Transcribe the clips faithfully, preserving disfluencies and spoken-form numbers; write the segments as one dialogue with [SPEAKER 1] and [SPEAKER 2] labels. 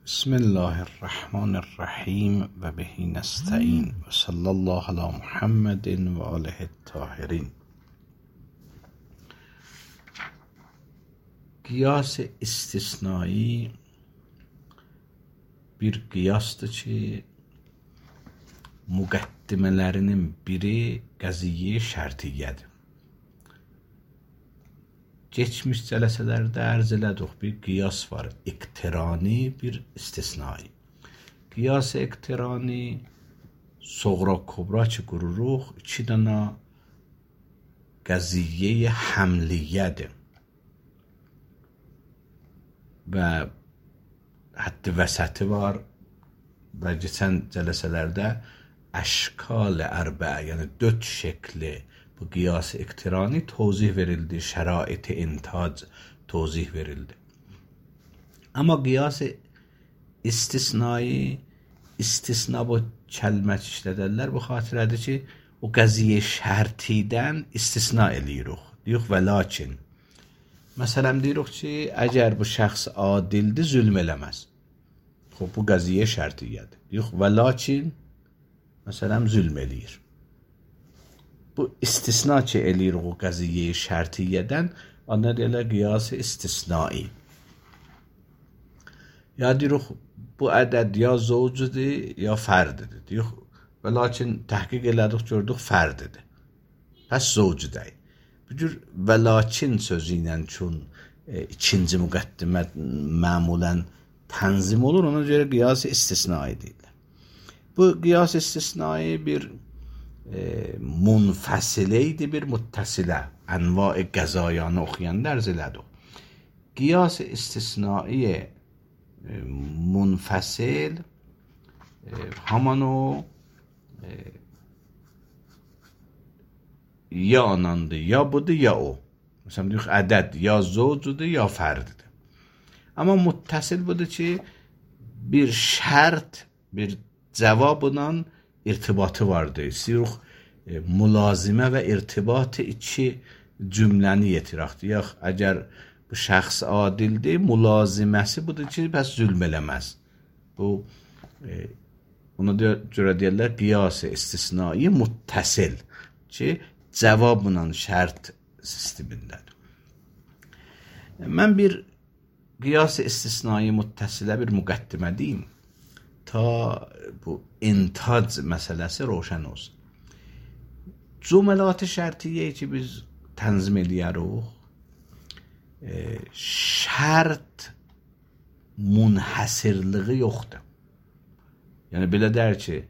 [SPEAKER 1] بسم الله الرحمن الرحیم و به نستعین و صلی الله علی محمد و آله الطاهرین. Qiyas istisnai bir qiyasdır ki, müqəddimələrinin biri qəziyyə şərtiyyədir. Geçmiş cələsələrdə ərz elədik, bir qiyas var, iqtirani, bir istisnai. Qiyas iqtirani, soğra kubra ki qururuq, iki dana qəziyyə həmliyyədir. Və həddi vəsəti var və keçən cələsələrdə əşkal ərbə, yəni dörd şəkli bu qiyas-ı iqtirani tozih verildi, şərait-i intac tozih verildi. Amma qiyas-ı istisnai, istisna bu kəlmə işlədərlər, bu xatirədir ki, o qəziyyə şərtidən istisna eləyirik. Deyirik və lakin. Məsələn, deyirik ki, əgər bu şəxs adildir, zülm eləməz. Xob, bu qəziyyə şərtiyyədir. Deyirik və lakin, məsələn, zülm eləyir. Bu istisna ki eləyirik o qəziyyə şərtiyyədən, ona deyirlər qiyas-ı istisnai. Ya deyirik, bu ədəd ya zovcudur, ya fərdidir. Deyirik, və lakin təhqiq elədik, gördük, fərdidir. Pəs zovcu deyil. Bu cür və lakin sözü ilə çün e, ikinci müqəddimə məmulən tənzim olur, ona görə qiyas-ı istisnai deyirlər. Bu qiyas-ı istisnai bir e, munfəsilə idi, bir muttəsilə. Ənva-i qəzayanı oxuyanda ərz elədik. Qiyas-ı istisnai e, munfəsil e, haman o e, ya anandır, ya budur, ya o. Məsələn, deyirik, ədəd ya zovcudur, ya fərdidir. Amma muttəsil budur ki, bir şərt, bir cavabla irtibatı vardır. İstəyirik, e, mülazimə və irtibatı iki cümləni yetirək. Deyək, əgər bu şəxs adildir, mülaziməsi budur ki, bəs zülm eləməz. Bu, e, ona görə deyərlər, qiyas-ı istisnai muttəsil ki, cavabla şərt sistemindədir. Mən bir qiyas-ı istisnai muttəsilə bir müqəddimə deyim, ta bu intac məsələsi roşən olsun. Cümləlat-ı şərtiyyə ki, biz tənzim eləyərik, e, şərt munhəsirliği yoxdur. Yəni, belə deyər ki,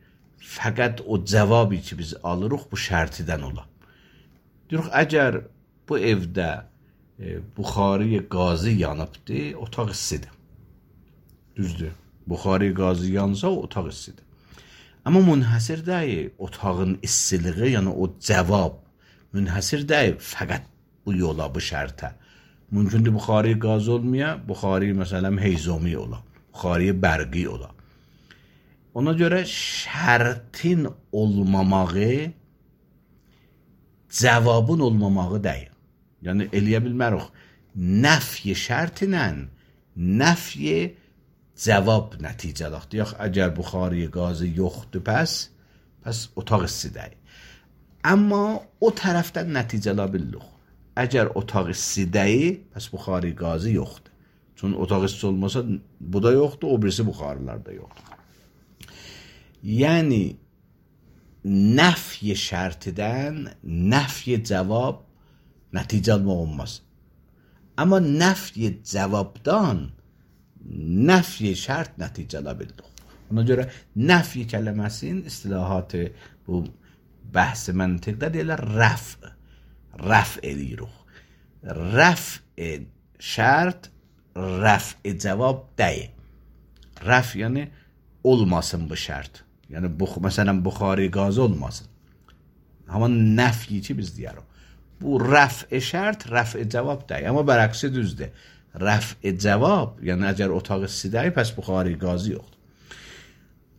[SPEAKER 1] fəqət o cavabı ki, biz alırıq, bu şərtidən ola. Deyirik, əgər bu evdə e, buxarı qazı yanıbdır, otaq istidir. Düzdür. Buxarı qazı yansa, otaq istidir. Amma münhəsir deyil, otağın istiliği, yəni o cavab münhəsir deyil, fəqət bu yola, bu şərtə. Mümkündür buxarı qazı olmaya, buxarı məsələn heyzomi ola, buxarı bərqi ola. Ona görə şərtin olmamağı cavabın olmamağı deyil. Yəni, eləyə bilmərik. Nəfyi şərtinlə nəfyi cavab nəticələk. Deyək, əgər buxarı qazı yoxdur, pəs, pəs otaq isti deyil. Amma o tərəfdən nəticələ bilirik. Əgər otaq isti deyil, pəs buxarı qazı yoxdur. Çünki otaq isti olmasa, bu da yoxdur, o birisi buxarılar da yoxdur. Yəni, nəfyi şərtidən nəfyi cavab nəticə almaq olmaz. Amma nəfyi cavabdan nəfyi şərt nəticə ala bildik. Ona görə nəfyi kələməsinin istilahatı bu bəhs-i məntiqdə deyirlər rəf. Rəf eləyirik. Rəf şərt, rəf cavab deyil. Rəf yəni olmasın bu şərt. Yəni, bu, məsələn, buxarı qazı olmasın. Amma nəfyi ki, biz deyərik. Bu rəf-i şərt, rəf-i cavab deyil. Amma bərəqsi düzdür. Rəf-i cavab, yəni əgər otaq isti deyil, pəs buxarı qazı yoxdur.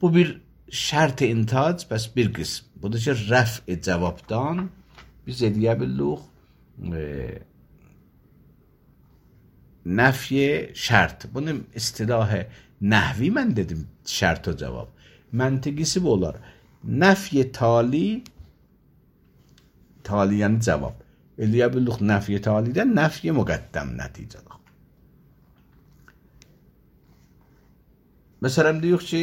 [SPEAKER 1] Bu bir şərt-i intac, pəs bir qism. Budur ki, rəf-i cavabdan biz eləyə bilirik, e, نفی şart. Bunun istilahı nahvi mən dedim şart o cavab. Məntiqisi bu olar. Nəfy tali tali yəni cavab. Eləyə bildik nəfy talidən nəfy müqəddəm nəticədir. Məsələn deyirik ki,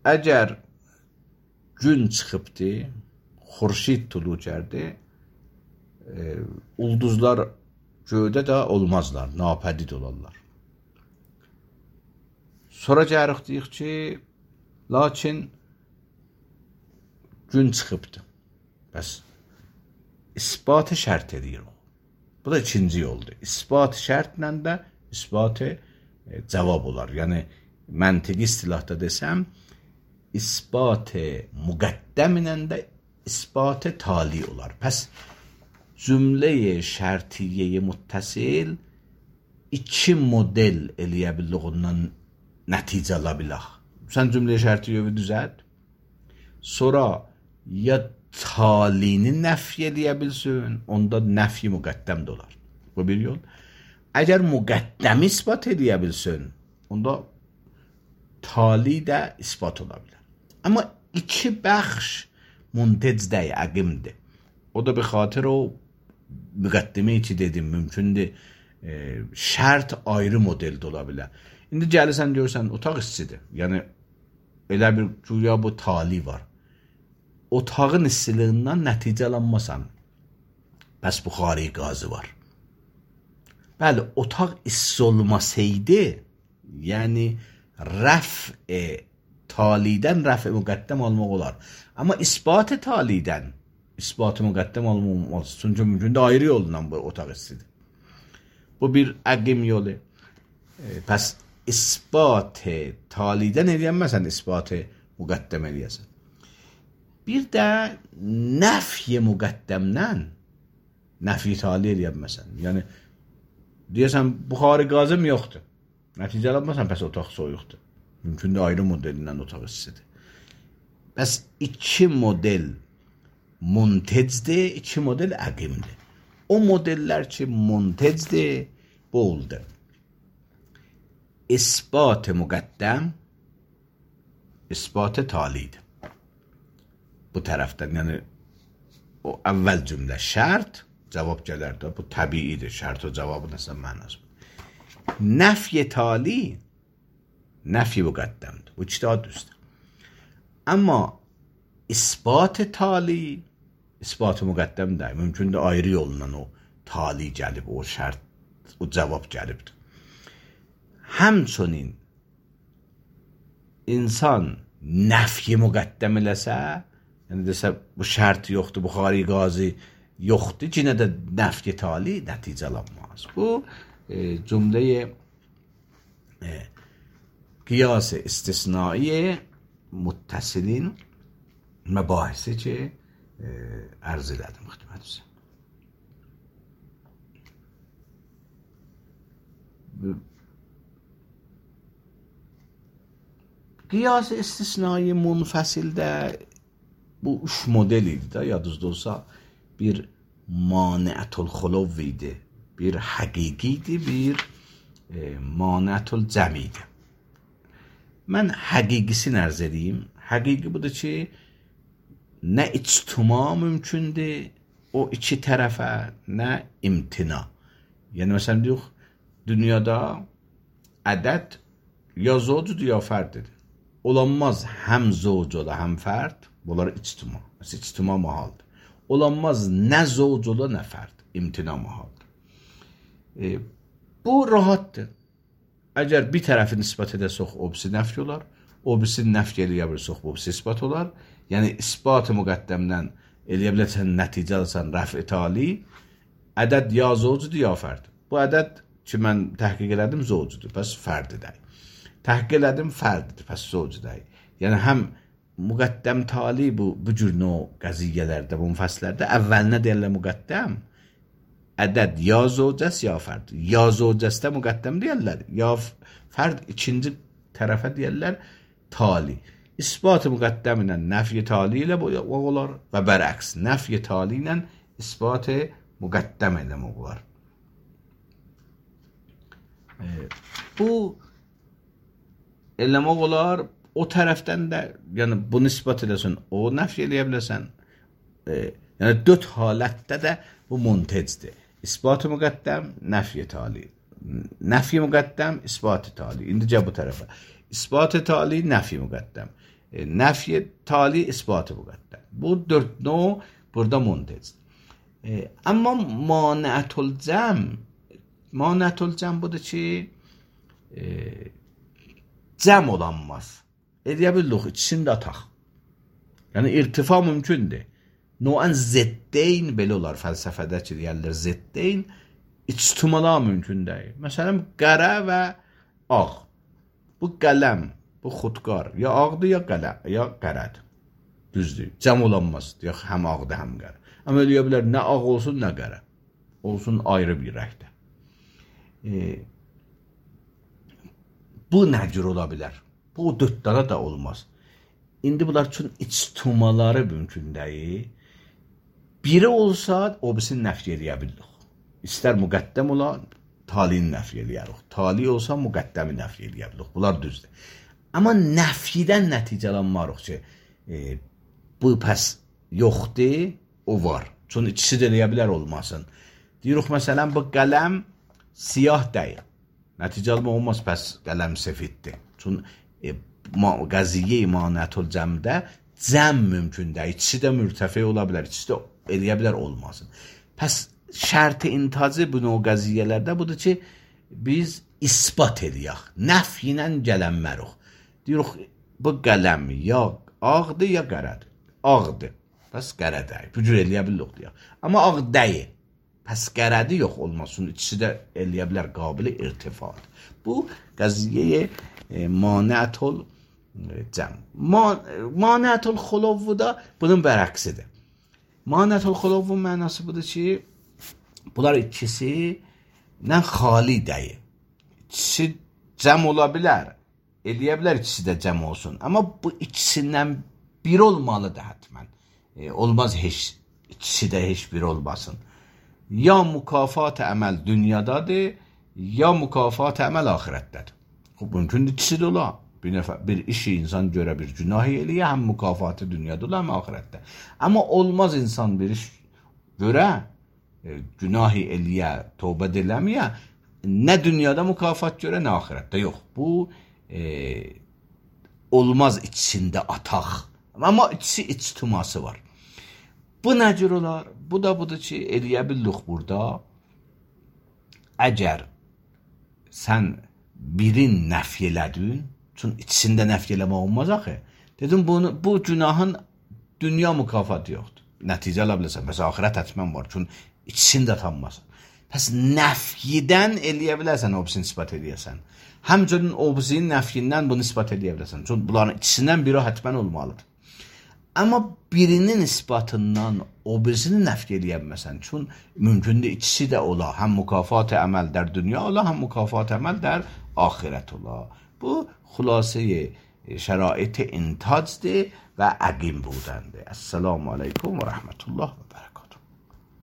[SPEAKER 1] əgər gün çıxıbdı, xurşid tulu gəldi, e, ulduzlar göydə də olmazlar, napədid olarlar. Sonra gəlirik deyik ki, lakin gün çıxıbdı. Bəs isbatı şərt edir o. Bu da ikinci yoldur. İsbat şərtlə də isbatı e, cavab olar. Yəni məntiqi istilahda desəm, isbatı müqəddəm ilə də isbatı tali olar. Pəs cümləyi şərtiyyeyi muttasil iki model eləyə bildik ondan nəticə ala bilək. Sən cümləyi şərtiyyeyi düzəlt. Sonra ya talini nəfy eləyə bilsin, onda nəfy müqəddəm də olar. Bu bir yol. Əgər müqəddəmi isbat eləyə bilsin, onda tali də isbat ola bilər. Amma iki bəxş muntecdə əqimdir. O da bir xatir o müqəddimə içi dedim, mümkündür e, şərt ayrı modeldə ola bilər. İndi gəlirsən görsən, otaq istidir. Yəni, elə bir güya bu tali var. Otağın istiliğindən nəticə alanmasan, bəs buxari qazı var. Bəli, otaq isti olmasaydı, yəni rəf-i talidən rəf-i müqəddəm almaq olar. Amma isbat-ı talidən isbat-ı müqəddəm almaq olmaz. Çünki mümkün də ayrı yolundan bu otaq istidir. Bu bir əqim yolu. E, pəs isbat-ı talidən eləyənməsən, isbat-ı müqəddəm eləyəsən. Bir də nəfy müqəddəmdən nəfy tali eləyənməsən. Yəni, deyəsən, buxari qazım yoxdur. Nəticə alınmasan, pəs otaq soyuqdur. Mümkün də ayrı modelindən otaq istidir. Bəs iki model muntecdir, iki model əqimdir. O modellər ki, muntecdir, bu oldu. İsbat-ı müqəddəm, isbat-ı talidir. Bu tərəfdən, yəni o əvvəl cümlə şərt, cavab gələr də, bu təbiidir, şərt o cavabı nəsə mənası. Nəfy tali, nəfy müqəddəmdir. Bu iki daha düzdür. Amma isbat tali, isbat müqəddəm də, mümkün də ayrı yolundan o tali gəlib, o şərt, o cavab gəlibdir. Həmçinin insan nəfy müqəddəm eləsə, yəni desə, bu şərt yoxdur, buxari qazi yoxdur, yenə də nəfy tali nəticə alanmaz. Bu e, cümləyi e, qiyas-ı istisnai muttasilin məbahisi ki, e, ərz elədim xidmətinizə. Qiyas-ı istisnai munfəsildə bu üç model idi də, yadınızda olsa, bir maniətul xulov idi, bir həqiqi idi, bir e, maniətul cəm idi. Mən həqiqisini ərz edeyim. Həqiqi budur ki, nə ictima mümkündür o iki tərəfə, nə imtina. Yəni, məsələn, deyək, dünyada ədəd ya zovcudur, ya fərdidir. Olanmaz həm zovc ola, həm fərd, bunlar ictima. Mesela ictima mahaldır. Olanmaz nə zovc ola, nə fərd. İmtina mahaldır. E, bu rahatdır. Əgər bir tərəfi nisbət edəsək, o birisi nəfy olar. O birisi nəfy eləyə bilirsək, o birisi isbat olar. Yəni, isbat-ı müqəddəmdən eləyə bilirsən, nəticə alırsan, rəf-i tali, ədəd ya zovcudur, ya fərd. Bu ədəd ki, mən təhqiq elədim, zovcudur, pəs fərdidir. Təhqiq elədim, fərdidir, pəs zovcudur. Yəni, həm müqəddəm tali bu, bu cür növ qəziyyələrdə, bu müfəslərdə əvvəlinə deyirlər müqəddəm, ədəd ya zovcəs, ya fərd. Ya zovcəsdə müqəddəm deyirlər, ya fərd ikinci tərəfə deyirlər tali. İsbat-ı müqəddəm ilə nəfy tali ilə olar və bərəks. Nəfy tali ilə isbat-ı müqəddəm eləmək olar. E, bu eləmək olar, o tərəfdən də, yəni bunu isbat edəsən, o nəfi eləyə biləsən. E, yəni dörd halətdə də bu muntecdir. İsbat-ı müqəddəm, nəfi tali. Nəfi müqəddəm, isbat-ı tali. İndicə bu tərəfə. İsbat-ı tali, nəfi müqəddəm. E, nəfi tali, isbat-ı müqəddəm. Bu dörd növ burada muntecdir. E, amma maniətül cəm, maniətül cəm budur ki, e, cəm olanmaz. Eləyə bilirik, içində ataq. Yəni irtifa mümkündür. Noən zeddeyn belə olar fəlsəfədə ki, deyərlər zeddeyn içtimalar mümkün deyil. Məsələn, qərə və ağ. Bu qələm, bu xudqar ya ağdır ya qələm, ya qərədir. Düzdür. Cəm olanmaz. Ya həm ağdır, həm qərə. Amma eləyə bilər nə ağ olsun, nə qərə. Olsun ayrı bir rəngdə. E, bu nə cür ola bilər? Bu dörddana da olmaz. İndi bunlar üçün içtimaları mümkün deyil. Biri olsa, o birisini nəfi eləyə bilirik. İstər müqəddəm ola, talini nəfi eləyərik. Tali olsa, müqəddəmi nəfi eləyə bilirik. Bunlar düzdür. Amma nəfidən nəticələnmarıq ki, e, bu pəs yoxdur, o var. Çünki ikisi də eləyə bilər olmasın. Deyirik, məsələn, bu qələm siyah deyil. Nəticəlmə olmaz, pəs qələm sefiddir. Çünki e, qəziyyə maniətül cəmdə cəm mümkün deyil. İkisi də mürtəfi ola bilər, ikisi də eləyə bilər olmasın. Pəs şərt-i intacı bu növ qəziyyələrdə budur ki, biz isbat eləyək. Nəf ilə gələnmərik. Deyirik, bu qələm ya ağdır, ya qərədir. Ağdır. Pəs qərə deyil. Bu cür eləyə bilirik deyək. Amma ağ deyil. Pəs qərədi yox olmasın. İkisi də eləyə bilər qabili irtifadır. Bu qəziyyə e, maniətül cəm. Maniətül xuluvvu da bunun bərəksidir. Maniətül xuluvvun mənası budur ki, bunlar ikisi nə xali deyil. İkisi cəm ola bilər. Eləyə bilər ikisi də cəm olsun. Amma bu ikisindən bir olmalıdır hətmən. E, olmaz heç, ikisi də heç bir olmasın. Ya mükafat əməl dünyadadır, ya mükafat əməl axirətdədir. Mümkündür ikisi də ola. Bir, nəfər, bir işi insan görə bir günahı eləyə, həm mükafatı dünyada ola, həm axirətdə. Amma olmaz insan bir iş görə, e, günahı eləyə, tövbə eləməyə, nə dünyada mükafat görə, nə axirətdə. Yox, bu e, olmaz içində ataq. Amma ikisi içtiması var. Bu nə cür olar? Bu da budur ki, eləyə bilirik burada. Əgər sən birin nəfi elədin, çünki ikisində nəfi eləmək olmaz axı. Dedim, bunu, bu günahın dünya mükafatı yoxdur. Nəticə ala biləsən. Məsələn, axirət hətmən var. Çünki ikisini də tanımasın. Pəs nəfyidən eləyə bilərsən, o birisini ispat eləyəsən. Həmçinin o birisinin nəfyindən bunu ispat eləyə bilərsən. Çünki bunların ikisindən biri hətmən olmalıdır. Amma birinin isbatından o birisini nəfi eləyə bilməsən. Çünki mümkündür ikisi də ola. Həm mükafat əməl dər dünya ola, həm mükafat əməl dər axirət ola. Bu xülasəyə şərait-i intacdır və əqim budəndir. Əssalamu aleykum və rəhmətullah və bərəkət.